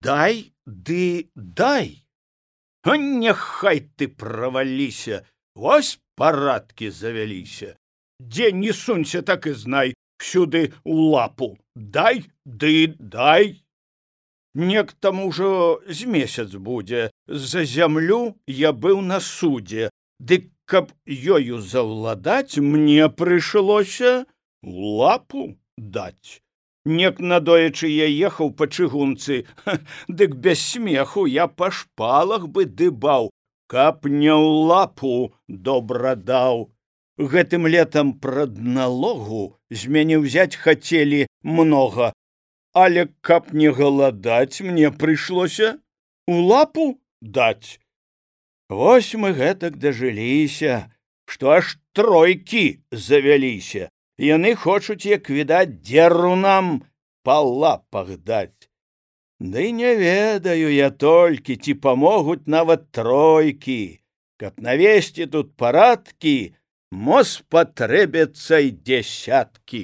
Дай ды дай. А няхай ты праваліся, вось парадкі завяліся. Дзе не сунься, так і знай, всюды у лапу. Дай ды дай. Нек там ужо з месяц будзе. За зямлю я быў на судзе. Дык каб ёю заўладаць, мне прыйшлося у лапу даць. Нек надоечы я ехаў па чыгунцы, дык без смеху я па шпалах бы дыбаў, каб не ў лапу добра даў. Гэтым летам прадналогу з мяне ўзяць хацелі многа, але каб не галадаць, мне прыйшлося у лапу даць. Вось мы гэтак дажыліся, што аж тройкі завяліся. Яны хочуць, як відаць, дзеру нам па лапах даць. Ды не ведаю я толькі, ці памогуць нават тройкі. Каб навесці тут парадкі, мо спатрэбяцца і дзесяткі.